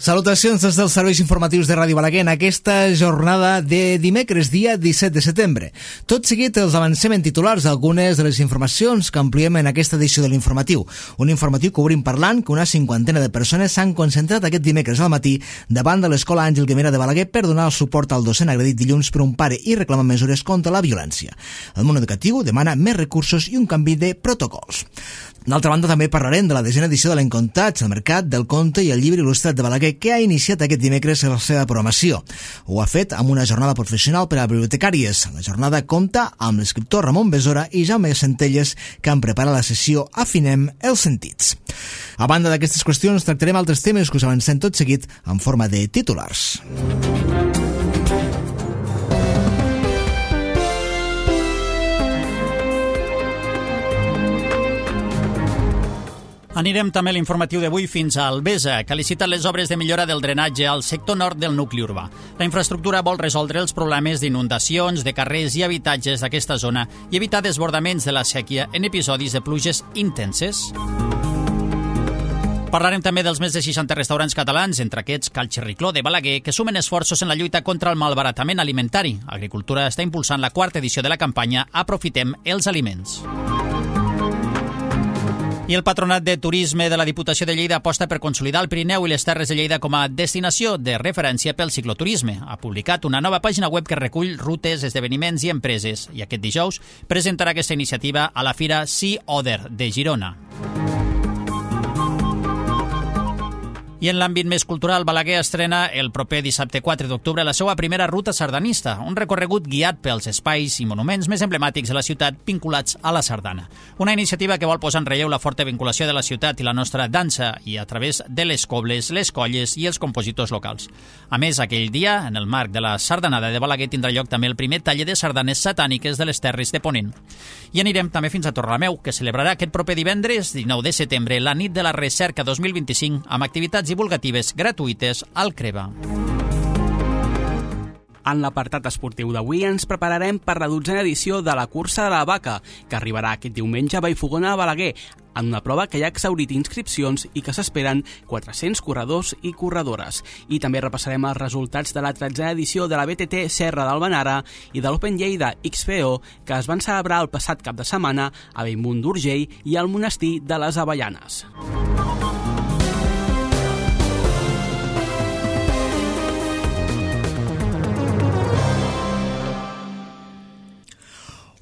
Salutacions des dels serveis informatius de Ràdio Balaguer en aquesta jornada de dimecres, dia 17 de setembre. Tot seguit els avancem en titulars d'algunes de les informacions que ampliem en aquesta edició de l'informatiu. Un informatiu que obrim parlant que una cinquantena de persones s'han concentrat aquest dimecres al matí davant de l'Escola Àngel Guimerà de Balaguer per donar el suport al docent agredit dilluns per un pare i reclamar mesures contra la violència. El món educatiu demana més recursos i un canvi de protocols. D'altra banda, també parlarem de la desena edició de l'Encontats, el Mercat del Conte i el Llibre Il·lustrat de Balaguer, que ha iniciat aquest dimecres la seva programació. Ho ha fet amb una jornada professional per a bibliotecàries. La jornada compta amb l'escriptor Ramon Besora i Jaume Centelles, que han preparat la sessió Afinem els sentits. A banda d'aquestes qüestions, tractarem altres temes que us avancem tot seguit en forma de titulars. Anirem també a l'informatiu d'avui fins a Albesa, que ha licitat les obres de millora del drenatge al sector nord del nucli urbà. La infraestructura vol resoldre els problemes d'inundacions de carrers i habitatges d'aquesta zona i evitar desbordaments de la sèquia en episodis de pluges intenses. Parlarem també dels més de 60 restaurants catalans, entre aquests Cal Xerricló de Balaguer, que sumen esforços en la lluita contra el malbaratament alimentari. Agricultura està impulsant la quarta edició de la campanya Aprofitem els aliments. I el Patronat de Turisme de la Diputació de Lleida aposta per consolidar el Pirineu i les Terres de Lleida com a destinació de referència pel cicloturisme. Ha publicat una nova pàgina web que recull rutes, esdeveniments i empreses i aquest dijous presentarà aquesta iniciativa a la Fira Sea Oder de Girona. I en l'àmbit més cultural, Balaguer estrena el proper dissabte 4 d'octubre la seva primera ruta sardanista, un recorregut guiat pels espais i monuments més emblemàtics de la ciutat vinculats a la sardana. Una iniciativa que vol posar en relleu la forta vinculació de la ciutat i la nostra dansa i a través de les cobles, les colles i els compositors locals. A més, aquell dia, en el marc de la sardanada de Balaguer, tindrà lloc també el primer taller de sardanes satàniques de les Terres de Ponent. I anirem també fins a Torrelameu, que celebrarà aquest proper divendres, 19 de setembre, la nit de la recerca 2025, amb activitats divulgatives gratuïtes al Creva. En l'apartat esportiu d'avui ens prepararem per la 12a edició de la Cursa de la Vaca, que arribarà aquest diumenge a Vallfogona de Balaguer, en una prova que ja ha exhaurit inscripcions i que s'esperen 400 corredors i corredores. I també repassarem els resultats de la 13a edició de la BTT Serra d'Albenara i de l'Open Lleida XPO, que es van celebrar el passat cap de setmana a Bellmunt d'Urgell i al Monestir de les Avellanes.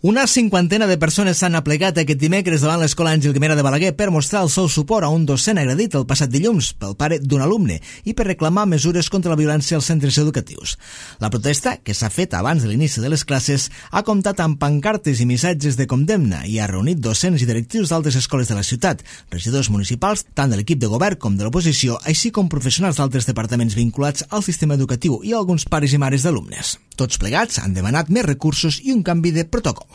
Una cinquantena de persones s'han aplegat aquest dimecres davant l'Escola Àngel Guimerà de Balaguer per mostrar el seu suport a un docent agredit el passat dilluns pel pare d'un alumne i per reclamar mesures contra la violència als centres educatius. La protesta, que s'ha fet abans de l'inici de les classes, ha comptat amb pancartes i missatges de condemna i ha reunit docents i directius d'altres escoles de la ciutat, regidors municipals, tant de l'equip de govern com de l'oposició, així com professionals d'altres departaments vinculats al sistema educatiu i alguns pares i mares d'alumnes. Tots plegats han demanat més recursos i un canvi de protocols.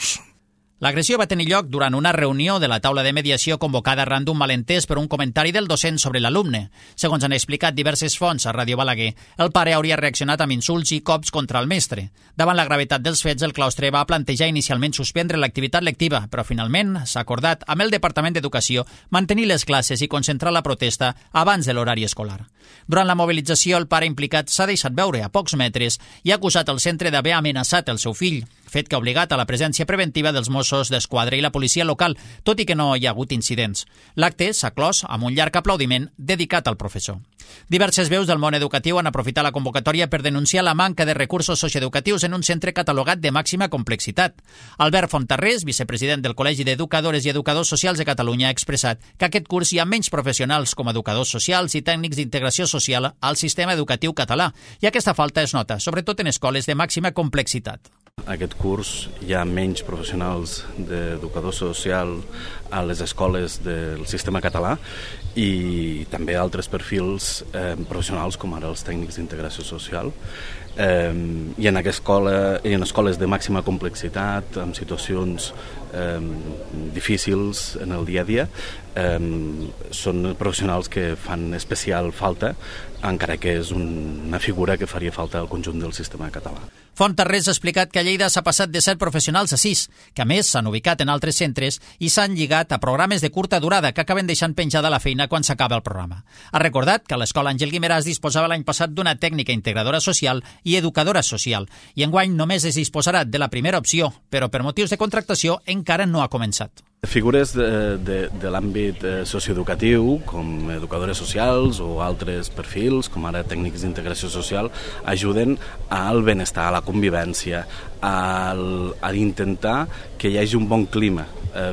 L'agressió va tenir lloc durant una reunió de la taula de mediació convocada arran d'un malentès per un comentari del docent sobre l'alumne. Segons han explicat diverses fonts a Ràdio Balaguer, el pare hauria reaccionat amb insults i cops contra el mestre. Davant la gravetat dels fets, el claustre va plantejar inicialment suspendre l'activitat lectiva, però finalment s'ha acordat amb el Departament d'Educació mantenir les classes i concentrar la protesta abans de l'horari escolar. Durant la mobilització, el pare implicat s'ha deixat veure a pocs metres i ha acusat el centre d'haver amenaçat el seu fill, fet que ha obligat a la presència preventiva dels Mossos d'Esquadra i la policia local, tot i que no hi ha hagut incidents. L'acte s'ha clos amb un llarg aplaudiment dedicat al professor. Diverses veus del món educatiu han aprofitat la convocatòria per denunciar la manca de recursos socioeducatius en un centre catalogat de màxima complexitat. Albert Fontarrés, vicepresident del Col·legi d'Educadores i Educadors Socials de Catalunya, ha expressat que aquest curs hi ha menys professionals com educadors socials i tècnics d'integració social al sistema educatiu català, i aquesta falta es nota, sobretot en escoles de màxima complexitat. Aquest curs hi ha menys professionals d'educador social a les escoles del sistema català i també altres perfils professionals com ara els tècnics d'integració social i en escoles de màxima complexitat, amb situacions difícils en el dia a dia, són professionals que fan especial falta, encara que és una figura que faria falta al conjunt del sistema català. Fontarrés ha explicat que a Lleida s'ha passat de 7 professionals a 6, que a més s'han ubicat en altres centres i s'han lligat dedicat a programes de curta durada que acaben deixant penjada la feina quan s'acaba el programa. Ha recordat que l'Escola Àngel Guimerà es disposava l'any passat d'una tècnica integradora social i educadora social, i enguany només es disposarà de la primera opció, però per motius de contractació encara no ha començat. Figures de l'àmbit socioeducatiu, com educadores socials o altres perfils, com ara tècnics d'integració social, ajuden al benestar, a la convivència, a intentar que hi hagi un bon clima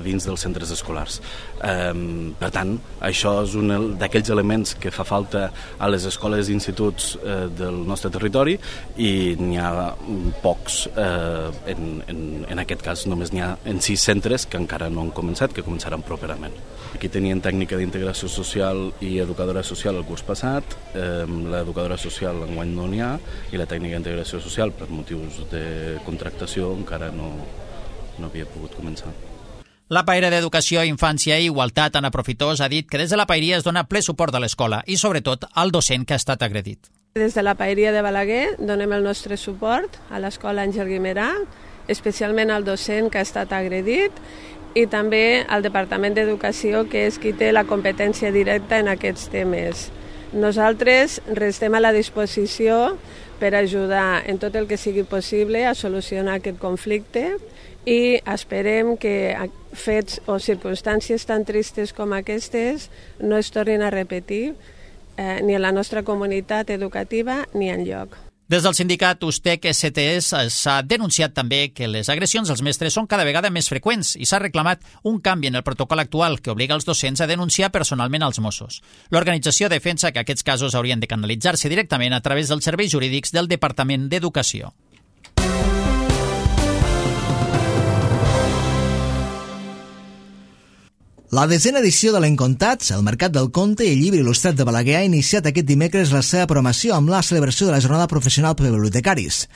dins dels centres escolars. Per tant, això és un d'aquells elements que fa falta a les escoles i instituts del nostre territori, i n'hi ha pocs, en aquest cas només n'hi ha en 6 centres que encara no han començat, que començaran properament. Aquí tenien tècnica d'integració social i educadora social el curs passat, l'educadora social enguany no n'hi ha, i la tècnica d'integració social per motius de contractació encara no havia pogut començar. La paella d'Educació, Infància i Igualtat, Anna Profitós, ha dit que des de la paeria es dona ple suport a l'escola i, sobretot, al docent que ha estat agredit. Des de la paeria de Balaguer donem el nostre suport a l'Escola Àngel Guimerà, especialment al docent que ha estat agredit, i també al Departament d'Educació, que és qui té la competència directa en aquests temes. Nosaltres restem a la disposició per ajudar en tot el que sigui possible a solucionar aquest conflicte, i esperem que fets o circumstàncies tan tristes com aquestes no es tornin a repetir ni en la nostra comunitat educativa ni enlloc. Des del sindicat USTEC-STS s'ha denunciat també que les agressions als mestres són cada vegada més freqüents i s'ha reclamat un canvi en el protocol actual que obliga els docents a denunciar personalment als Mossos. L'organització defensa que aquests casos haurien de canalitzar-se directament a través dels serveis jurídics del Departament d'Educació. La 10a edició de l'Encontats, el Mercat del Conte i el Llibre Il·lustrat de Balaguer, ha iniciat aquest dimecres la seva programació amb la celebració de la Jornada Professional per Bibliotecaris.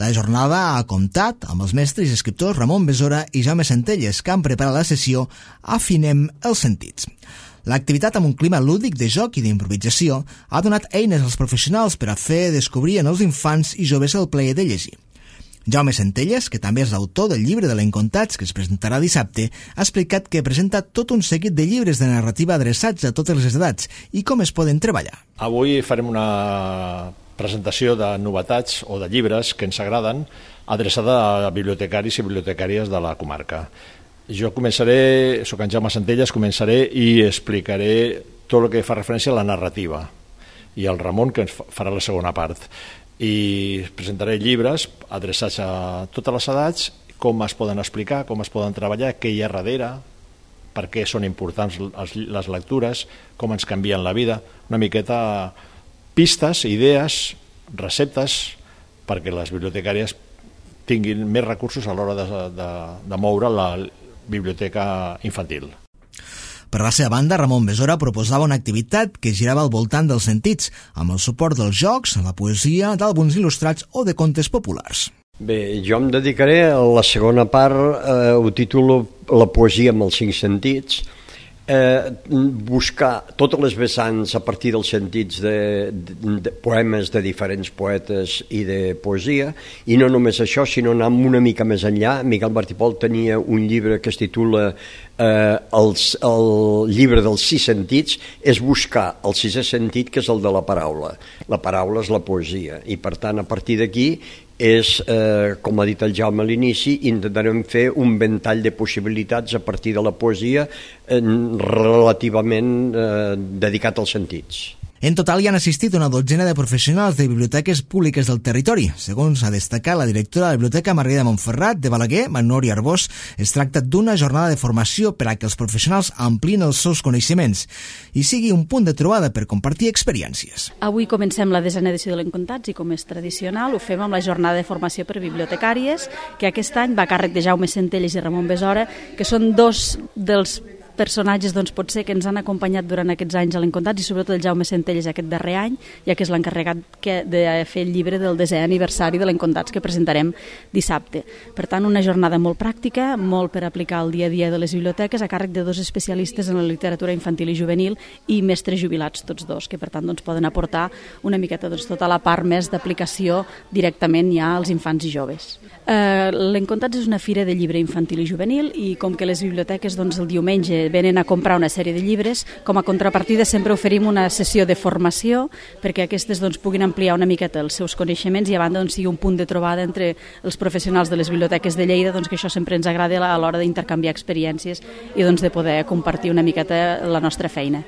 La jornada ha comptat amb els mestres i escriptors Ramon Besora i Jaume Centelles, que han preparat la sessió Afinem els sentits. L'activitat, amb un clima lúdic de joc i d'improvisació, ha donat eines als professionals per a fer descobrir en els infants i joves el plaer de llegir. Jaume Centelles, que també és l'autor del llibre de l'Encontats, que es presentarà dissabte, ha explicat que presenta tot un seguit de llibres de narrativa adreçats a totes les edats i com es poden treballar. Avui farem una presentació de novetats o de llibres que ens agraden, adreçada a bibliotecaris i bibliotecàries de la comarca. Jo començaré, soc en Jaume Centelles, començaré i explicaré tot el que fa referència a la narrativa, i el Ramon, que ens farà la segona part. I presentaré llibres adreçats a totes les edats, com es poden explicar, com es poden treballar, què hi ha darrere, per què són importants les lectures, com ens canvien la vida, una miqueta pistes, idees, receptes, perquè les bibliotecàries tinguin més recursos a l'hora de moure la biblioteca infantil. Per la seva banda, Ramon Besora proposava una activitat que girava al voltant dels sentits, amb el suport dels jocs, la poesia, d'àlbums il·lustrats o de contes populars. Bé, jo em dedicaré a la segona part, ho titulo La poesia amb els 5 sentits, buscar totes les vessants a partir dels sentits de poemes de diferents poetes i de poesia, i no només això, sinó anar una mica més enllà. Miquel Martí Pol tenia un llibre que es titula el llibre dels 6 sentits, és buscar el 6è sentit, que és el de la paraula. La paraula és la poesia, i per tant a partir d'aquí és, com ha dit el Jaume a l'inici, intentarem fer un ventall de possibilitats a partir de la poesia relativament dedicat als sentits. En total hi han assistit una dotzena de professionals de biblioteques públiques del territori. Segons ha destacat la directora de la Biblioteca Margarida Montferrat de Balaguer, Manori Arbós, es tracta d'una jornada de formació per a que els professionals amplien els seus coneixements i sigui un punt de trobada per compartir experiències. Avui comencem la 10a edició de l'Encontats i, com és tradicional, ho fem amb la jornada de formació per bibliotecàries, que aquest any va a càrrec de Jaume Centelles i Ramon Besora, que són dos dels personatges doncs, potser que ens han acompanyat durant aquests anys a l'Encontats, i sobretot el Jaume Centelles aquest darrer any, ja que és l'encarregat de fer el llibre del 10è aniversari de l'Encontats que presentarem dissabte. Per tant, una jornada molt pràctica, molt per aplicar el dia a dia de les biblioteques, a càrrec de 2 especialistes en la literatura infantil i juvenil i mestres jubilats, tots dos, que per tant doncs, poden aportar una miqueta doncs, tota la part més d'aplicació directament ja als infants i joves. L'Encontats és una fira de llibre infantil i juvenil, i com que les biblioteques doncs, el diumenge venen a comprar una sèrie de llibres, com a contrapartida sempre oferim una sessió de formació perquè aquestes doncs, puguin ampliar una miqueta els seus coneixements i a banda doncs, sigui un punt de trobada entre els professionals de les biblioteques de Lleida, doncs, que això sempre ens agrada a l'hora d'intercanviar experiències i doncs, de poder compartir una miqueta la nostra feina.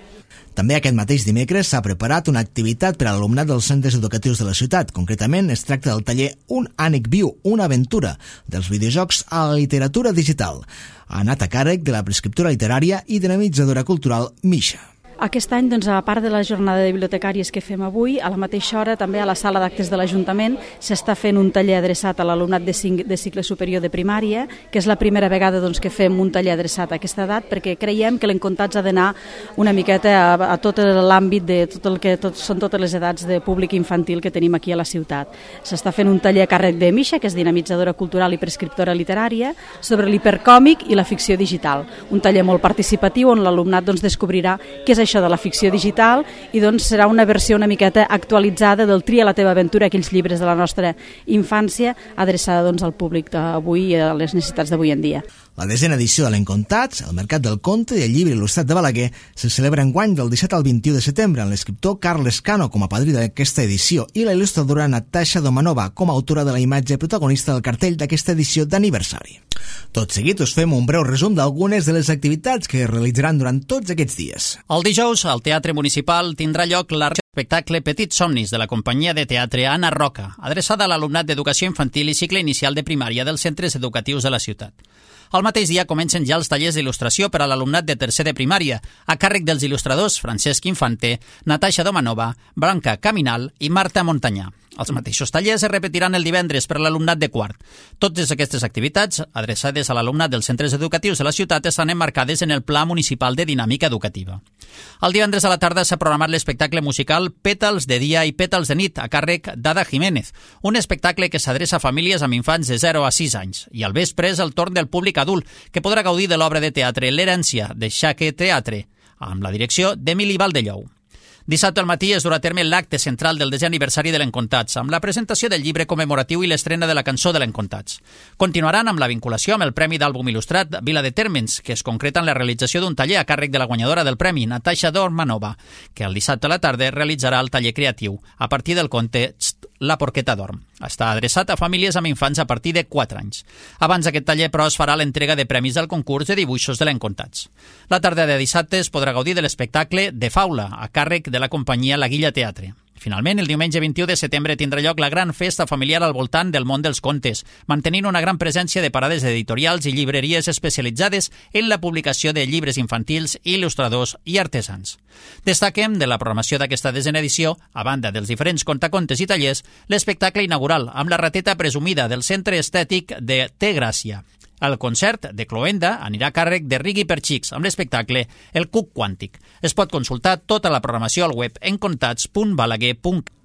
També aquest mateix dimecres s'ha preparat una activitat per a l'alumnat dels centres educatius de la ciutat. Concretament, es tracta del taller Un ànec viu, una aventura, dels videojocs a la literatura digital. Ha anat a càrrec de la prescriptora literària i dinamitzadora cultural Misha. Aquest any, doncs, a part de la jornada de bibliotecàries que fem avui, a la mateixa hora també a la sala d'actes de l'Ajuntament s'està fent un taller adreçat a l'alumnat de cicle superior de primària, que és la primera vegada doncs, que fem un taller adreçat a aquesta edat, perquè creiem que l'Encontats ha d'anar una miqueta a tot l'àmbit de tot el que són totes les edats de públic infantil que tenim aquí a la ciutat. S'està fent un taller a càrrec de Misha, que és dinamitzadora cultural i prescriptora literària, sobre l'hipercòmic i la ficció digital. Un taller molt participatiu on l'alumnat doncs, descobrirà què és això de la ficció digital i doncs serà una versió una miqueta actualitzada del Tria la teva aventura, aquells llibres de la nostra infància, adreçada doncs, al públic d'avui i a les necessitats d'avui en dia. La 10a edició de l'Encontats, el Mercat del Conte i el Llibre Il·lustrat de Balaguer, se celebra enguany del 17 al 21 de setembre amb l'escriptor Carles Cano com a padrí d'aquesta edició i la il·lustradora Natasha Domanova com a autora de la imatge protagonista del cartell d'aquesta edició d'aniversari. Tot seguit us fem un breu resum d'algunes de les activitats que es realitzaran durant tots aquests dies. El dijous, al Teatre Municipal, tindrà lloc l'espectacle Petits Somnis de la companyia de teatre Anna Roca, adreçada a l'alumnat d'educació infantil i cicle inicial de primària dels centres educatius de la ciutat. Al mateix dia comencen ja els tallers d'il·lustració per a l'alumnat de tercer de primària, a càrrec dels il·lustradors Francesc Infante, Natasha Domanova, Blanca Caminal i Marta Montanyà. Els mateixos tallers es repetiran el divendres per a l'alumnat de quart. Totes aquestes activitats, adreçades a l'alumnat dels centres educatius de la ciutat, estan emmarcades en el Pla Municipal de Dinàmica Educativa. El divendres a la tarda s'ha programat l'espectacle musical Pètals de dia i Pètals de nit, a càrrec d'Ada Jiménez, un espectacle que s'adreça a famílies amb infants de 0 a 6 anys. I al vespre és el torn del públic adult, que podrà gaudir de l'obra de teatre L'herència, de Xaque Teatre, amb la direcció d'Emili Valdellou. Dissabte al matí es durà a terme l'acte central del 10è aniversari de l'Encontats, amb la presentació del llibre commemoratiu i l'estrena de la cançó de l'Encontats. Continuaran amb la vinculació amb el Premi d'Àlbum Il·lustrat Vila de Térmens, que es concreta en la realització d'un taller a càrrec de la guanyadora del premi, Natasha Domanova, que el dissabte a la tarda realitzarà el taller creatiu a partir del conte La porqueta dorm. Està adreçat a famílies amb infants a partir de 4 anys. Abans d'aquest taller, però, es farà l'entrega de premis del concurs de dibuixos de l'Encontats. La tarda de dissabte es podrà gaudir de l'espectacle De Faula, a càrrec de la companyia La Guilla Teatre. Finalment, el diumenge 21 de setembre tindrà lloc la gran festa familiar al voltant del món dels contes, mantenint una gran presència de parades editorials i llibreries especialitzades en la publicació de llibres infantils, il·lustradors i artesans. Destaquem de la programació d'aquesta 10a edició, a banda dels diferents contacontes i tallers, l'espectacle inaugural amb la rateta presumida del Centre Estètic de Té Gràcia. El concert de Cloenda anirà a càrrec de Rigui per Xics amb l'espectacle El Cuc Quàntic. Es pot consultar tota la programació al web encontats.balaguer.com.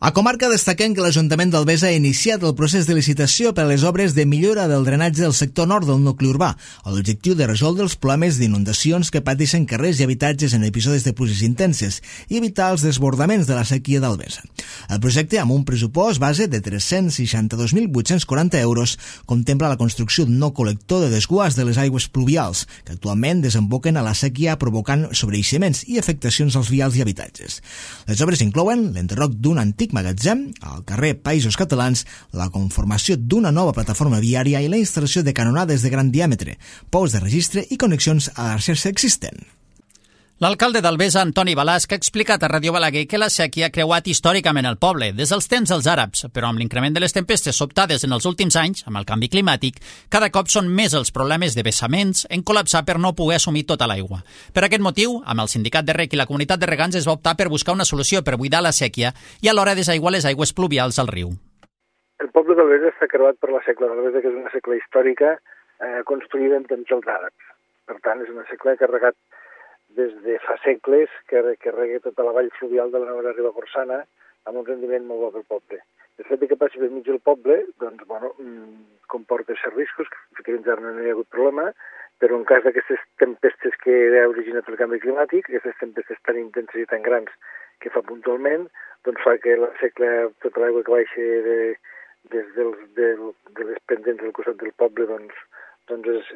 A comarca destaquem que l'Ajuntament d'Albesa ha iniciat el procés de licitació per a les obres de millora del drenatge del sector nord del nucli urbà, amb l'objectiu de resoldre els problemes d'inundacions que pateixen carrers i habitatges en episodis de pluges intenses i evitar els desbordaments de la sequia d'Albesa. El projecte, amb un pressupost base de 362.840 euros, contempla la construcció d'un nou col·lector de desguàs de les aigües pluvials, que actualment desemboquen a la sequia provocant sobreeiximents i afectacions als vials i habitatges. Les obres inclouen l'enderroc d'un antic magatzem al carrer Països Catalans, la conformació d'una nova plataforma viària i la instal·lació de canonades de gran diàmetre, pous de registre i connexions a la xarxa existent. L'alcalde d'Albesa, Antoni Balasc, ha explicat a Ràdio Balaguer que la sèquia ha creuat històricament el poble, des dels temps dels àrabs, però amb l'increment de les tempestes sobtades en els últims anys, amb el canvi climàtic, cada cop són més els problemes de vessaments en col·lapsar per no poder assumir tota l'aigua. Per aquest motiu, amb el sindicat de rec i la comunitat de regants es va optar per buscar una solució per buidar la sèquia i alhora desaiguar les aigües pluvials al riu. El poble d'Albesa està creuat per la Secla d'Albesa, que és una secla històrica construïda en temps dels àrabs. Per tant, és una secla que ha regat des de fa segles, que rega tota la vall fluvial de la Nova Ribagorçana amb un rendiment molt bo pel poble. El fet que passi per mig del poble, doncs, comporta certs riscos, que fins ara no hi ha hagut problema, però en cas d'aquestes tempestes que ha originat el canvi climàtic, aquestes tempestes tan intenses i tan grans que fa puntualment, doncs fa que la secla, tota l'aigua que baixa de les pendents del costat del poble, doncs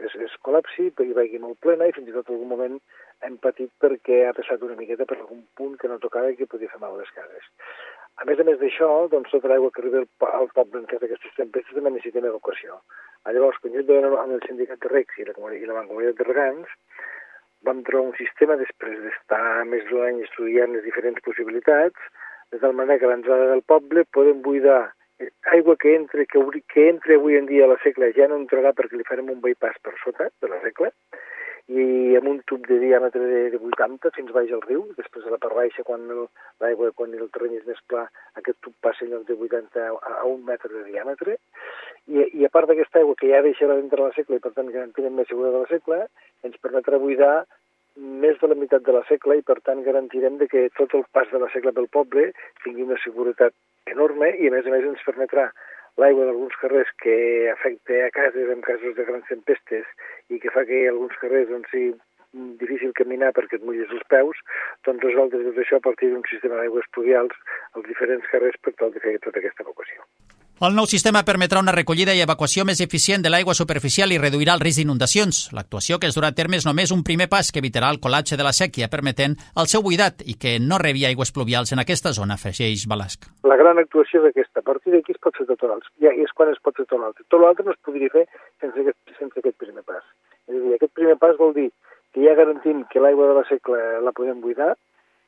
es col·lapsi i vagi molt plena, i fins i tot en algun moment hem patit perquè ha passat una miqueta per algun punt que no tocava i que podia fer mal a les cases. A més d'això, doncs, tota l'aigua que arriba al poble en cas d'aquestes tempestes també necessita evacuació. Llavors, quan jo vaig amb el sindicat de regs i la mancomunitat de regants, vam trobar un sistema després d'estar més d'un any estudiant les diferents possibilitats, de tal manera que a l'entrada del poble podem buidar aigua que entre avui en dia a la Secla ja no entrarà perquè li farem un bypass per sota de la Secla, i amb un tub de diàmetre de 80 fins baix al riu. Després de la part baixa, quan el terreny és més pla, aquest tub passa en lloc de 80 a 1 metre de diàmetre. I a part d'aquesta aigua que ja deixarà dintre la Secla i per tant garantirem més seguretat de la Secla, ens permetrà buidar més de la meitat de la Secla i per tant garantirem que tot el pas de la Secla pel poble tingui una seguretat enorme i a més ens permetrà l'aigua d'alguns carrers que afecta a cases en casos de grans tempestes i que fa que alguns carrers sigui difícil caminar perquè et mulles els peus, doncs resoldre tot això a partir d'un sistema d'aigües pluvials als diferents carrers per tal de fer tota aquesta evacuació. El nou sistema permetrà una recollida i evacuació més eficient de l'aigua superficial i reduirà el risc d'inundacions. L'actuació que es durà a terme és només un primer pas que evitarà el col·lapse de la sèquia, permetent el seu buidat i que no rebi aigües pluvials en aquesta zona, afegeix Balasc. La gran actuació és aquesta. A partir d'aquí es pot fer tot l'altre. Ja és quan es pot fer tot l'altre. Tot l'altre no es podria fer sense aquest primer pas. És a dir, aquest primer pas vol dir que ja garantim que l'aigua de la Secla la podem buidar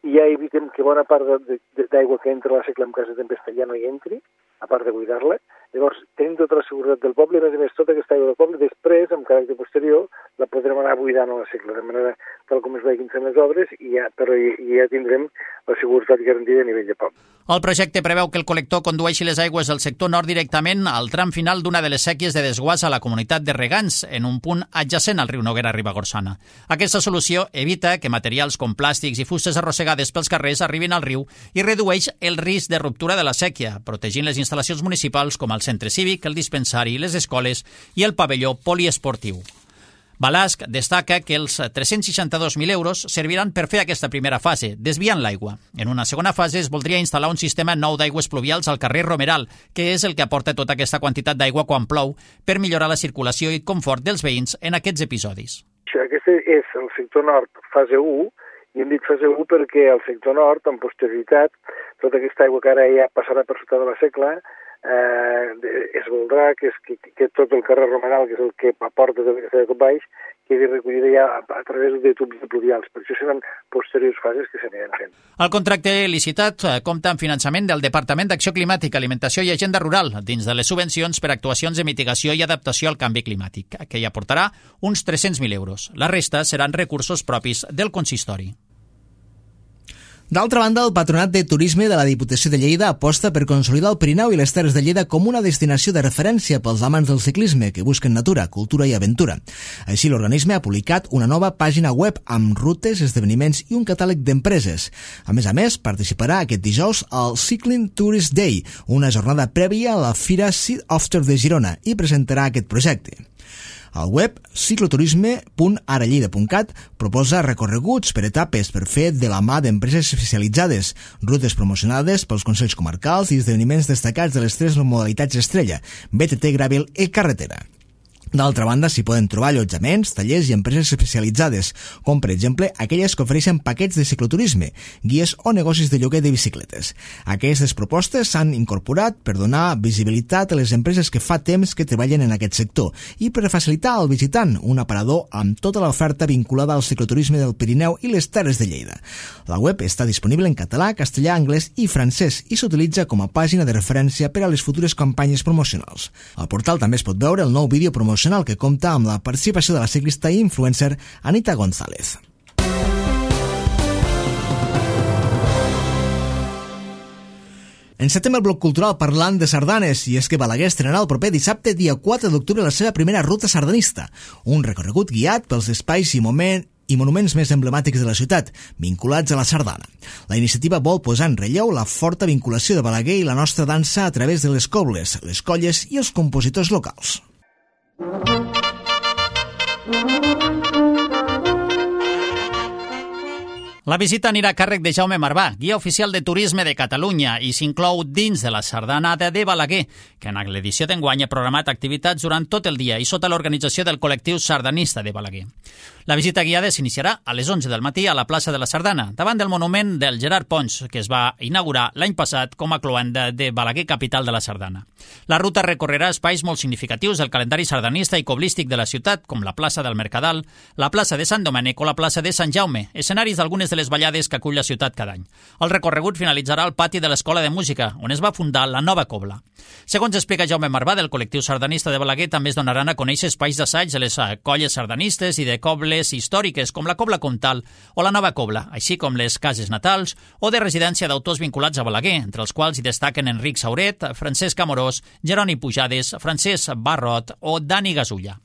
i ja evitem que bona part d'aigua que entra a la Secla en cas de tempesta ja no hi entri, a part de buidar-la. Llavors, tenim tota la seguretat del poble i, a més, tota aquesta aigua del poble, després, amb caràcter posterior, la podrem anar buidant a la Secla, de manera tal com es vagin fent les obres, però ja tindrem la seguretat garantida a nivell de poble. El projecte preveu que el col·lector condueixi les aigües del sector nord directament al tram final d'una de les sèquies de desguàs a la comunitat de regants, en un punt adjacent al riu Noguera Ribagorçana. Aquesta solució evita que materials com plàstics i fustes arrossegades pels carrers arribin al riu i redueix el risc de ruptura de la sèquia, protegint les instal·lacions municipals com el centre cívic, el dispensari, les escoles i el pavelló poliesportiu. Balasc destaca que els 362.000 euros serviran per fer aquesta primera fase, desviant l'aigua. En una segona fase es voldria instal·lar un sistema nou d'aigües pluvials al carrer Romeral, que és el que aporta tota aquesta quantitat d'aigua quan plou, per millorar la circulació i confort dels veïns en aquests episodis. Aquest és el sector nord, fase 1, i hem dit fase 1 perquè al sector nord, en posterioritat, tota aquesta aigua que ara ja passarà per sota de la Secla, es voldrà que tot el carrer Romeral, que és el que aporta tot aquest aigua baix, quedi recollida ja a través de tubs pluvials. Per això seran posteriors fases que s'aniran fent. El contracte licitat compta amb finançament del Departament d'Acció Climàtica, Alimentació i Agenda Rural, dins de les subvencions per actuacions de mitigació i adaptació al canvi climàtic, que hi aportarà uns 300.000 euros. La resta seran recursos propis del consistori. D'altra banda, el Patronat de Turisme de la Diputació de Lleida aposta per consolidar el Pirineu i les Terres de Lleida com una destinació de referència pels amants del ciclisme que busquen natura, cultura i aventura. Així, l'organisme ha publicat una nova pàgina web amb rutes, esdeveniments i un catàleg d'empreses. A més, participarà aquest dijous al Cycling Tourist Day, una jornada prèvia a la Fira Sea After de Girona, i presentarà aquest projecte. El web cicloturisme.arallida.cat proposa recorreguts per etapes per fer de la mà d'empreses especialitzades, rutes promocionades pels consells comarcals i esdeveniments destacats de les 3 modalitats estrella, BTT, Gravel i carretera. D'altra banda, s'hi poden trobar allotjaments, tallers i empreses especialitzades, com per exemple aquelles que ofereixen paquets de cicloturisme, guies o negocis de lloguer de bicicletes. Aquestes propostes s'han incorporat per donar visibilitat a les empreses que fa temps que treballen en aquest sector i per facilitar al visitant un aparador amb tota l'oferta vinculada al cicloturisme del Pirineu i les Terres de Lleida. La web està disponible en català, castellà, anglès i francès i s'utilitza com a pàgina de referència per a les futures campanyes promocionals. Al portal també es pot veure el nou vídeo promocional que compta amb la participació de la ciclista i influencer Anita González. Encetem el bloc cultural parlant de sardanes, i és que Balaguer estrenarà el proper dissabte, dia 4 d'octubre, la seva primera ruta sardanista, un recorregut guiat pels espais i monuments més emblemàtics de la ciutat, vinculats a la sardana. La iniciativa vol posar en relleu la forta vinculació de Balaguer i la nostra dansa a través de les cobles, les colles i els compositors locals. La visita anirà a càrrec de Jaume Marvà, guia oficial de turisme de Catalunya, i s'inclou dins de la sardanada de Balaguer, que en l'edició d'enguany ha programat activitats durant tot el dia i sota l'organització del col·lectiu sardanista de Balaguer. La visita guiada s'iniciarà a les 11 del matí a la plaça de la Sardana, davant del monument del Gerard Pons, que es va inaugurar l'any passat com a cloenda de Balaguer, capital de la sardana. La ruta recorrerà espais molt significatius del calendari sardanista i coblístic de la ciutat, com la plaça del Mercadal, la plaça de Sant Domènec o la plaça de Sant Jaume, escenaris d'algunes de les ballades que acull la ciutat cada any. El recorregut finalitzarà al pati de l'Escola de Música, on es va fundar la nova cobla. Segons explica Jaume Marvà, del col·lectiu sardanista de Balaguer, també es donaran a conèixer espais d'assaig de les colles sardanistes i de cobles històriques, com la Cobla Comtal o la Nova Cobla, així com les cases natals o de residència d'autors vinculats a Balaguer, entre els quals hi destaquen Enric Sauret, Francesc Amorós, Jeroni Pujades, Francesc Barrot o Dani Gasulla.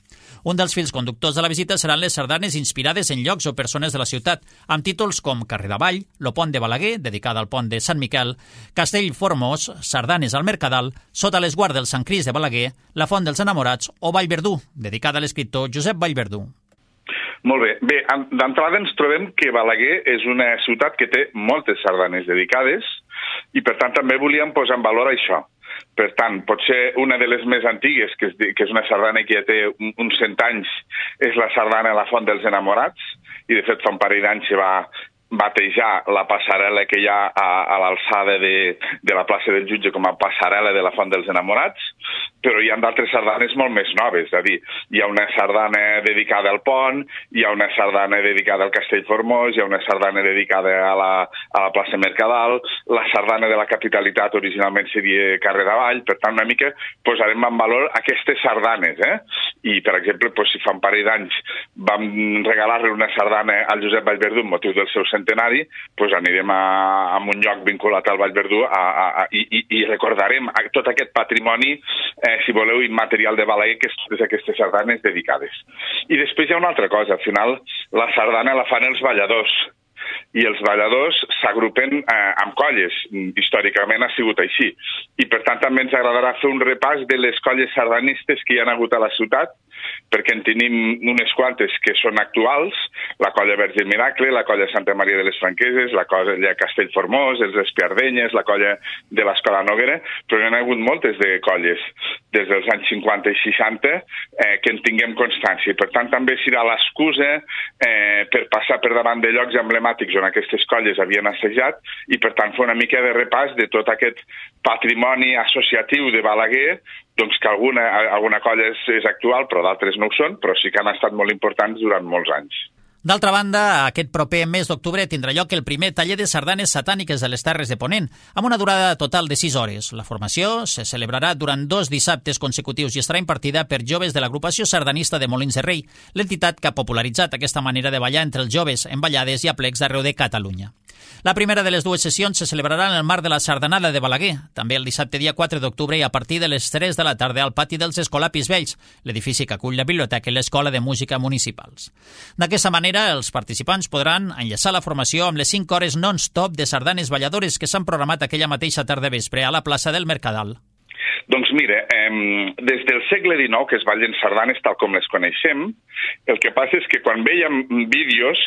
Un dels fils conductors de la visita seran les sardanes inspirades en llocs o persones de la ciutat, amb títols com Carrer d'Avall, Lo Pont de Balaguer, dedicada al pont de Sant Miquel, Castell Formós, Sardanes al Mercadal, Sota l'esguard del Sant Crist de Balaguer, La Font dels Enamorats o Vallverdú, dedicada a l'escriptor Josep Vallverdú. Molt bé. Bé, d'entrada ens trobem que Balaguer és una ciutat que té moltes sardanes dedicades i, per tant, també volíem posar en valor això. Per tant, potser una de les més antigues, que és una sardana que ja té uns 100 anys, és la sardana La Font dels Enamorats, i de fet fa un parell d'anys se va batejar la passarel·la que hi ha a l'alçada de la plaça del Jutge com a passarel·la de la Font dels Enamorats, però hi ha d'altres sardanes molt més noves, és a dir, hi ha una sardana dedicada al pont, hi ha una sardana dedicada al Castell Formós, hi ha una sardana dedicada a la plaça Mercadal, la sardana de la capitalitat originalment seria Carrer d'Avall, per tant una mica posarem en valor aquestes sardanes, I per exemple, si fa un parell d'anys vam regalar-li una sardana al Josep Vallverdú amb motiu del seu centenari, anirem a un lloc vinculat al Vallverdú i recordarem tot aquest patrimoni, si voleu, immaterial de Balaguer, que és totes aquestes sardanes dedicades. I després hi ha una altra cosa, al final la sardana la fan els balladors, i els balladors s'agrupen amb colles. Històricament ha sigut així. I per tant també ens agradarà fer un repàs de les colles sardanistes que hi ha hagut a la ciutat, perquè en tenim unes quantes que són actuals, la colla Verge Miracle, la colla Santa Maria de les Franqueses, la colla Castell Formós, els Espiardenyes, la colla de l'Escola Noguera, però hi ha hagut moltes de colles des dels anys 50 i 60 que en tinguem constància. Per tant, també serà l'excusa per passar per davant de llocs emblemàtics on aquestes colles havien assajat i, per tant, fer una mica de repàs de tot aquest patrimoni associatiu de Balaguer, doncs que alguna colla és actual, però d'altres no ho són, però sí que han estat molt importants durant molts anys. D'altra banda, aquest proper mes d'octubre tindrà lloc el primer taller de sardanes satàniques de les Terres de Ponent, amb una durada total de 6 hores. La formació se celebrarà durant 2 dissabtes consecutius i estarà impartida per joves de l'agrupació sardanista de Molins de Rei, l'entitat que ha popularitzat aquesta manera de ballar entre els joves en ballades i aplecs d'arreu de Catalunya. La primera de les 2 sessions se celebrarà en el marc de la Sardanada de Balaguer, també el dissabte dia 4 d'octubre i a partir de les 3 de la tarda al pati dels Escolapis Vells, l'edifici que acull la biblioteca i l'Escola de Música Municipals. D'aquesta manera, els participants podran enllaçar la formació amb les 5 hores non-stop de sardanes balladores que s'han programat aquella mateixa tarda vespre a la plaça del Mercadal. Doncs mira, des del segle XIX que es ballen sardanes tal com les coneixem, el que passa és que quan veiem vídeos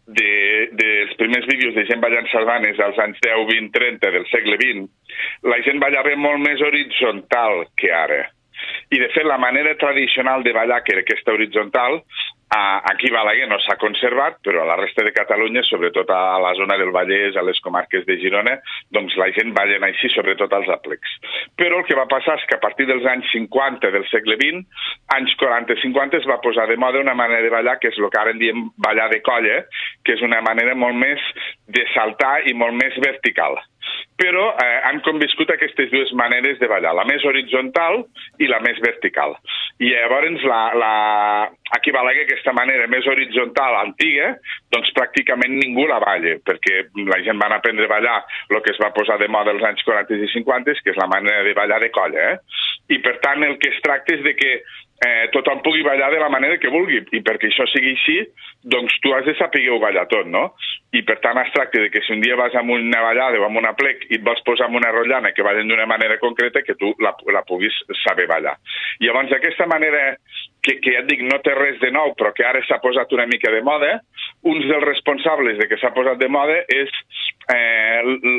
dels primers vídeos de gent ballant sardanes als anys 10, 20, 30 del segle XX, la gent ballava molt més horitzontal que ara. I de fet la manera tradicional de ballar, que era aquesta horitzontal, aquí a Balaguer no s'ha conservat, però a la resta de Catalunya, sobretot a la zona del Vallès, a les comarques de Girona, doncs la gent ballen així, sobretot als aplecs. Però el que va passar és que a partir dels anys 50 del segle XX, anys 40-50, es va posar de moda una manera de ballar que és el que ara en diem ballar de colla, que és una manera molt més de saltar i molt més vertical. Però han conviscut aquestes dues maneres de ballar, la més horitzontal i la més vertical. I llavors aquí a Balaguer, aquesta manera més horitzontal, antiga, doncs pràcticament ningú la balla, perquè la gent van aprendre a ballar el que es va posar de moda als anys 40 i 50, que és la manera de ballar de colla. I per tant el que es tracta és de que tothom pugui ballar de la manera que vulgui, i perquè això sigui així, doncs tu has de saber ballar tot, no? I per tant es tracta de que si un dia vas amb una ballada o amb una plec i et vols posar amb una rotllana que ballen d'una manera concreta, que tu la puguis saber ballar. I llavors aquesta manera que ja et dic, no té res de nou, però que ara s'ha posat una mica de moda, un dels responsables de que s'ha posat de moda és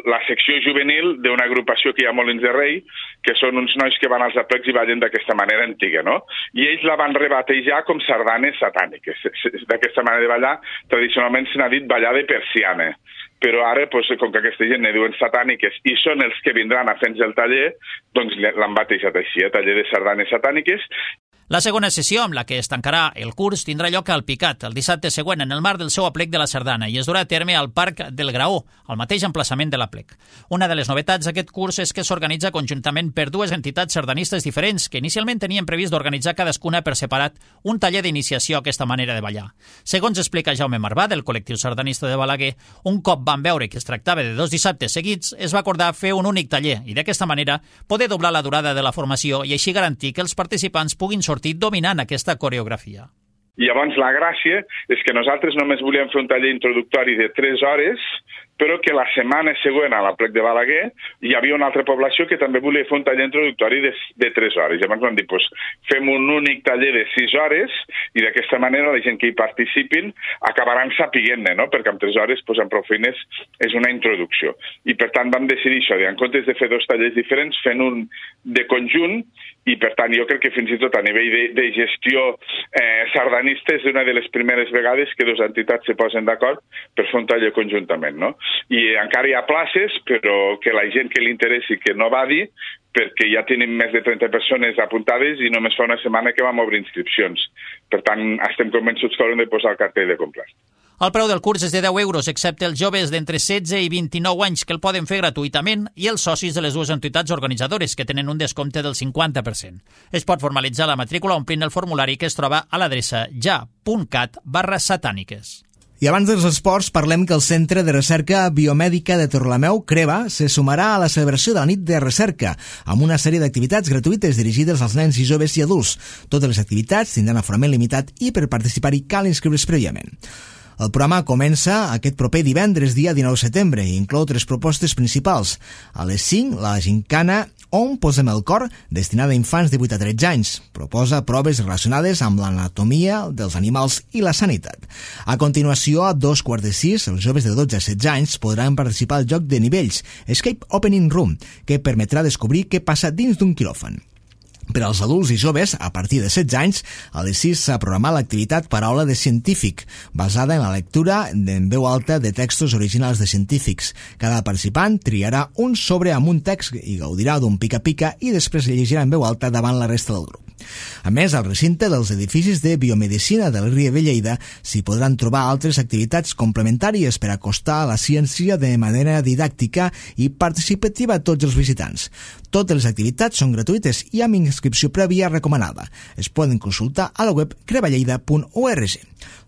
la secció juvenil d'una agrupació que hi ha a Molins de Rei, que són uns nois que van als aplecs i ballen d'aquesta manera antiga, no? I ells la van rebatejar com sardanes satàniques. D'aquesta manera de ballar, tradicionalment se n'ha dit ballar de persiana. Però ara, com que aquesta gent ne diuen satàniques i són els que vindran a fer-nos el taller, doncs l'han batejat així, taller de sardanes satàniques. La segona sessió, amb la que es tancarà el curs, tindrà lloc al Picat el dissabte següent en el marc del seu aplec de la sardana i es durà a terme al Parc del Graó, al mateix emplaçament de l'aplec. Una de les novetats d'aquest curs és que s'organitza conjuntament per dues entitats sardanistes diferents que inicialment tenien previst d'organitzar cadascuna per separat un taller d'iniciació a aquesta manera de ballar. Segons explica Jaume Marvà, del col·lectiu sardanista de Balaguer, un cop van veure que es tractava de 2 dissabtes seguits, es va acordar fer un únic taller i d'aquesta manera poder doblar la durada de la formació i així garantir que els participants puguin sortir dominant aquesta coreografia. Llavors la gràcia és que nosaltres només volíem fer un taller introductori de 3 hores, però que la setmana següent a l'aplec de Balaguer hi havia una altra població que també volia fer un taller introductori de 3 hores. Llavors vam dir, fem un únic taller de 6 hores i d'aquesta manera la gent que hi participin acabaran sapiguent-ne, no? Perquè amb 3 hores, amb prou feines, és una introducció. I per tant vam decidir això, en comptes de fer 2 tallers diferents, fent un de conjunt, i per tant jo crec que fins i tot a nivell de gestió sardanista és una de les primeres vegades que 2 entitats se posen d'acord per fer un taller conjuntament, no? I encara hi ha places, però que la gent que li interessi que no va dir, perquè ja tenim més de 30 persones apuntades i només fa una setmana que vam obrir inscripcions. Per tant, estem convençuts que haurem de posar el cartell de comprat. El preu del curs és de 10 euros, excepte els joves d'entre 16 i 29 anys que el poden fer gratuïtament i els socis de les dues entitats organitzadores que tenen un descompte del 50%. Es pot formalitzar la matrícula omplint el formulari que es troba a l'adreça ja.cat/satàniques. I abans dels esports, parlem que el Centre de Recerca Biomèdica de Torrelameu, CREBA, se sumarà a la celebració de la nit de recerca, amb una sèrie d'activitats gratuïtes dirigides als nens i joves i adults. Totes les activitats tindran aforament limitat i per participar-hi cal inscriure's prèviament. El programa comença aquest proper divendres, dia 19 de setembre, i inclou 3 propostes principals. A les 5, la gincana On posem el cor, destinada a infants de 8 a 13 anys. Proposa proves relacionades amb l'anatomia dels animals i la sanitat. A continuació, a 5:15, els joves de 12 a 16 anys podran participar al joc de nivells, Escape Opening Room, que permetrà descobrir què passa dins d'un quiròfan. Per als adults i joves, a partir de 16 anys, a les 6 s'ha programat l'activitat Paraula de científic, basada en la lectura en veu alta de textos originals de científics. Cada participant triarà un sobre amb un text i gaudirà d'un pica-pica i després llegirà en veu alta davant la resta del grup. A més, al recinte dels edificis de biomedicina del Rieu de Lleida s'hi podran trobar altres activitats complementàries per acostar a la ciència de manera didàctica i participativa a tots els visitants. Totes les activitats són gratuïtes i amb inscripció prèvia recomanada. Es poden consultar a la web creballeida.org.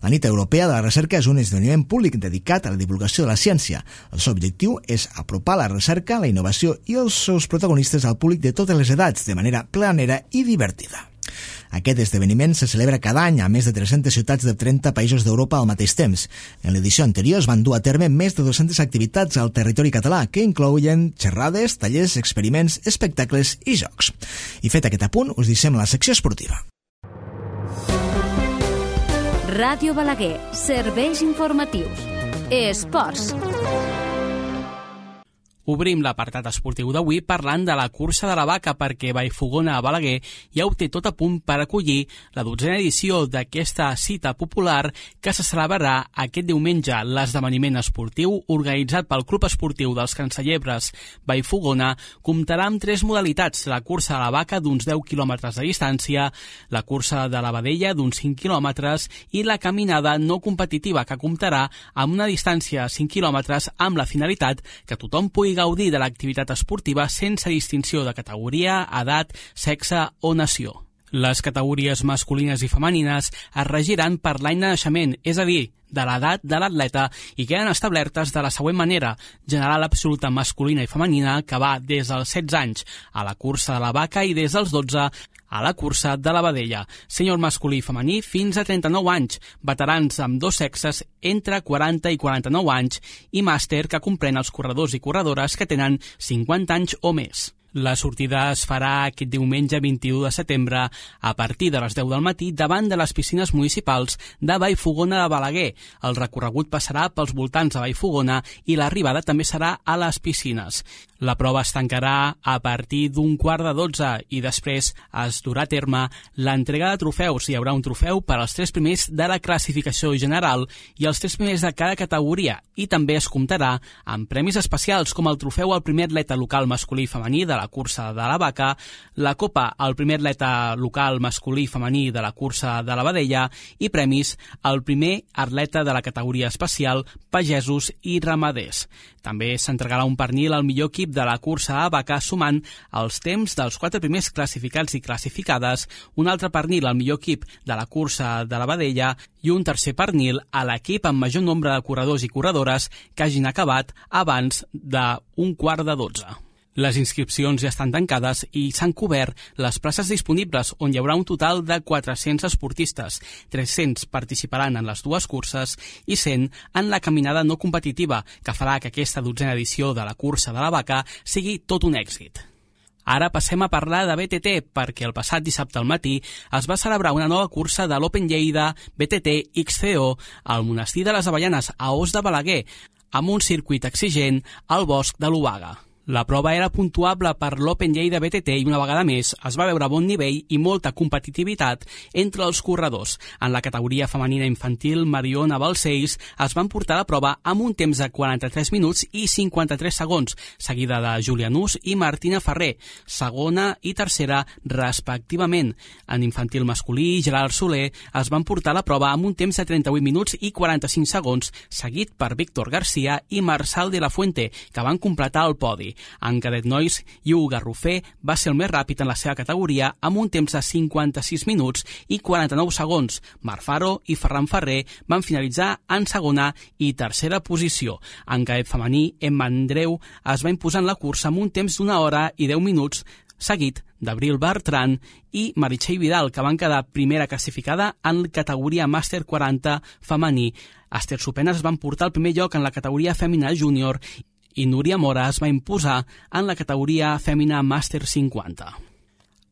La Nit Europea de la Recerca és un esdeveniment públic dedicat a la divulgació de la ciència. El seu objectiu és apropar la recerca, la innovació i els seus protagonistes al públic de totes les edats de manera planera i divertida. Aquest esdeveniment se celebra cada any a més de 300 ciutats de 30 països d'Europa al mateix temps. En l'edició anterior es van dur a terme més de 200 activitats al territori català que inclouen xerrades, tallers, experiments, espectacles i jocs. I fet aquest apunt, us deixem la secció esportiva. Ràdio Balaguer, serveis informatius. Esports. Obrim l'apartat esportiu d'avui parlant de la cursa de la vaca perquè Vallfogona a Balaguer ja ho té tot a punt per acollir la 12a edició d'aquesta cita popular que se celebrarà aquest diumenge. L'esdeveniment esportiu organitzat pel Club Esportiu dels Cancellebres Vallfogona comptarà amb 3 modalitats: la cursa de la vaca d'uns 10 quilòmetres de distància, la cursa de la vedella d'uns 5 quilòmetres i la caminada no competitiva que comptarà amb una distància de 5 quilòmetres amb la finalitat que tothom pugui gaudir de l'activitat esportiva sense distinció de categoria, edat, sexe o nació. Les categories masculines i femenines es regiran per l'any de naixement, és a dir, de l'edat de l'atleta, i queden establertes de la següent manera: general absoluta masculina i femenina, que va des dels 16 anys a la cursa de la vaca i des dels 12 a la cursa de la vedella. Sènior masculí i femení fins a 39 anys, veterans amb dos sexes entre 40 i 49 anys i màster, que comprèn els corredors i corredores que tenen 50 anys o més. La sortida es farà aquest diumenge 21 de setembre a partir de les 10 del matí davant de les piscines municipals de Vallfogona de Balaguer. El recorregut passarà pels voltants de Vallfogona i l'arribada també serà a les piscines. La prova es tancarà a partir d'un 11:15 i després es durà a terme l'entrega de trofeus. Hi haurà un trofeu per als 3 primers de la classificació general i els 3 primers de cada categoria, i també es comptarà amb premis especials com el trofeu al primer atleta local masculí i femení de la cursa de la vaca, la copa al primer atleta local masculí i femení de la cursa de la vedella i premis al primer atleta de la categoria especial pagesos i ramaders. També s'entregarà un pernil al millor equip de la cursa a vaca, sumant els temps dels 4 primers classificats i classificades, un altre pernil al millor equip de la cursa de la vedella i un tercer pernil a l'equip amb major nombre de corredors i corredores que hagin acabat abans d'un 11:15. Les inscripcions ja estan tancades i s'han cobert les places disponibles, on hi haurà un total de 400 esportistes. 300 participaran en les dues curses i 100 en la caminada no competitiva, que farà que aquesta 12a edició de la cursa de la vaca sigui tot un èxit. Ara passem a parlar de BTT, perquè el passat dissabte al matí es va celebrar una nova cursa de l'Open Lleida BTT XCO al Monestir de les Avellanes, a Os de Balaguer, amb un circuit exigent al Bosc de l'Obaga. La prova era puntuable per l'Open Lleida BTT i una vegada més es va veure bon nivell i molta competitivitat entre els corredors. En la categoria femenina infantil, Mariona Balcells es van portar la prova amb un temps de 43 minuts i 53 segons, seguida de Júlia Nus i Martina Ferrer, segona i tercera respectivament. En infantil masculí, Gerard Soler es van portar la prova amb un temps de 38 minuts i 45 segons, seguit per Víctor García i Marçal de la Fuente, que van completar el podi. En cadet nois, Iu Garrofer va ser el més ràpid en la seva categoria amb un temps de 56 minuts i 49 segons. Marc Faro i Ferran Ferrer van finalitzar en segona i tercera posició. En cadet femení, Emma Andreu es va imposar en la cursa amb un temps d'1 hora i 10 minuts, seguit d'Abril Bertran i Meritxell Vidal, que van quedar primera classificada en categoria Màster 40 femení. Esther Sopenes es van portar el primer lloc en la categoria Fèmina Júnior i Núria Mora es va imposar en la categoria Fèmina Màster 50.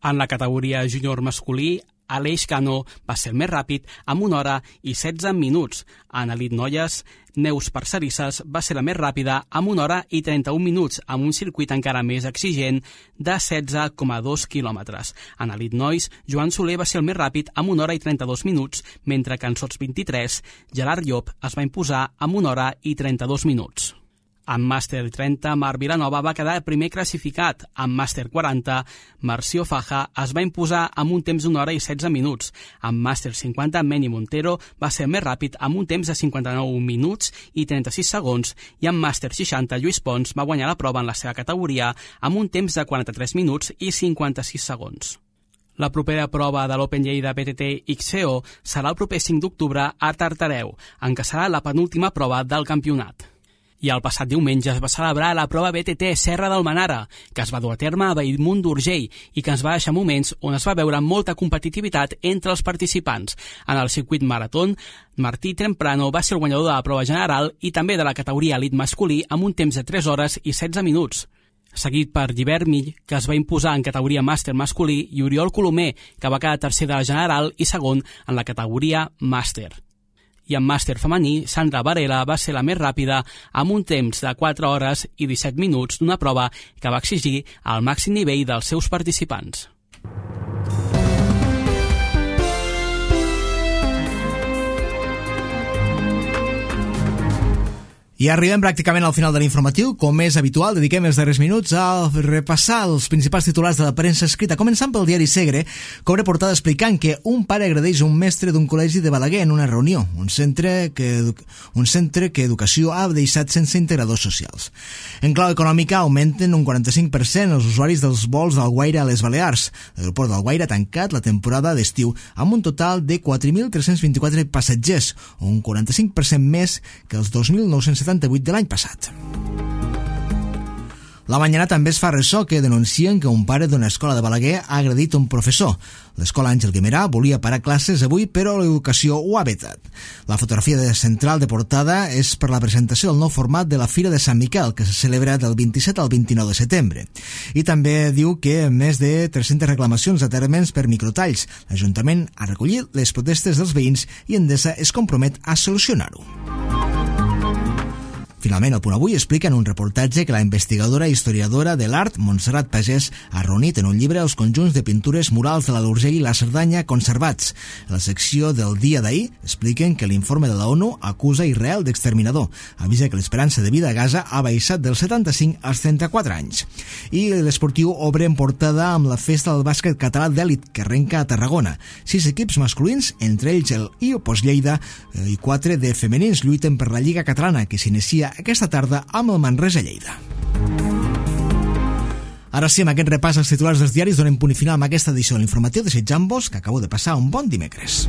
En la categoria júnior masculí, Aleix Cano va ser el més ràpid amb 1 hora i 16 minuts. En elit noies, Neus Parcerisses va ser la més ràpida amb 1 hora i 31 minuts, amb un circuit encara més exigent de 16,2 quilòmetres. En elit nois, Joan Soler va ser el més ràpid amb 1 hora i 32 minuts, mentre que en sots 23, Gerard Llop es va imposar amb 1 hora i 32 minuts. En Màster 30, Marc Vilanova va quedar primer classificat. En Màster 40, Marció Faja es va imposar amb un temps d'1 hora i 16 minuts. En Màster 50, Meni Montero va ser més ràpid amb un temps de 59 minuts i 36 segons. I en Màster 60, Lluís Pons va guanyar la prova en la seva categoria amb un temps de 43 minuts i 56 segons. La propera prova de l'Open Lleida BTT XCO serà el proper 5 d'octubre a Tartareu, en què serà la penúltima prova del campionat. I el passat diumenge es va celebrar la prova BTT Serra d'Almenara, que es va dur a terme a Bellmunt d'Urgell i que ens va deixar moments on es va veure molta competitivitat entre els participants. En el circuit maratón, Martí Temprano va ser el guanyador de la prova general i també de la categoria elit masculí amb un temps de 3 hores i 16 minuts. Seguit per Llibert Mill, que es va imposar en categoria màster masculí, i Oriol Colomer, que va quedar tercer de la general i segon en la categoria màster. I en màster femení, Sandra Varela va ser la més ràpida amb un temps de 4 hores i 17 minuts d'una prova que va exigir el màxim nivell dels seus participants. I arribem pràcticament al final de l'informatiu. Com és habitual, dediquem els darrers minuts a repassar els principals titulars de la premsa escrita, començant pel diari Segre, que obre portada explicant que un pare agredeix un mestre d'un col·legi de Balaguer en una reunió, un centre que educació ha deixat sense integradors socials. En clau econòmica, augmenten un 45% els usuaris dels vols d'Alguaire a les Balears. L'aeroport d'Alguaire ha tancat la temporada d'estiu amb un total de 4.324 passatgers, un 45% més que els 2.978 de l'any passat. La Mañana també es fa ressò que denuncien que un pare d'una escola de Balaguer ha agredit un professor. L'escola Àngel Guimerà volia parar classes avui, però l'educació ho ha vetat. La fotografia central de portada és per la presentació del nou format de la Fira de Sant Miquel, que se celebra del 27 al 29 de setembre. I també diu que més de 300 reclamacions a termes per microtalls. L'Ajuntament ha recollit les protestes dels veïns i Endesa es compromet a solucionar-ho. Finalment, el Punt Avui explica en un reportatge que la investigadora i historiadora de l'art, Montserrat Pagès, ha reunit en un llibre els conjunts de pintures murals de la l'Urgell i la Cerdanya conservats. A la secció del dia d'ahir expliquen que l'informe de la ONU acusa Israel d'exterminador. Avisa que l'esperança de vida a Gaza ha baixat dels 75 als 34 anys. I l'Esportiu obre en portada amb la festa del bàsquet català d'èlit que arrenca a Tarragona. 6 equips masculins, entre ells el IOPOS Lleida, i 4 de femenins lluiten per la Lliga Catalana, que s'inicia aquesta tarda amb el Manresa Lleida. Ara sí, amb aquest repàs als titulars dels diaris donem punt i final amb aquesta edició de l'informatiu, desitjant-vos que acabeu de passar un bon dimecres.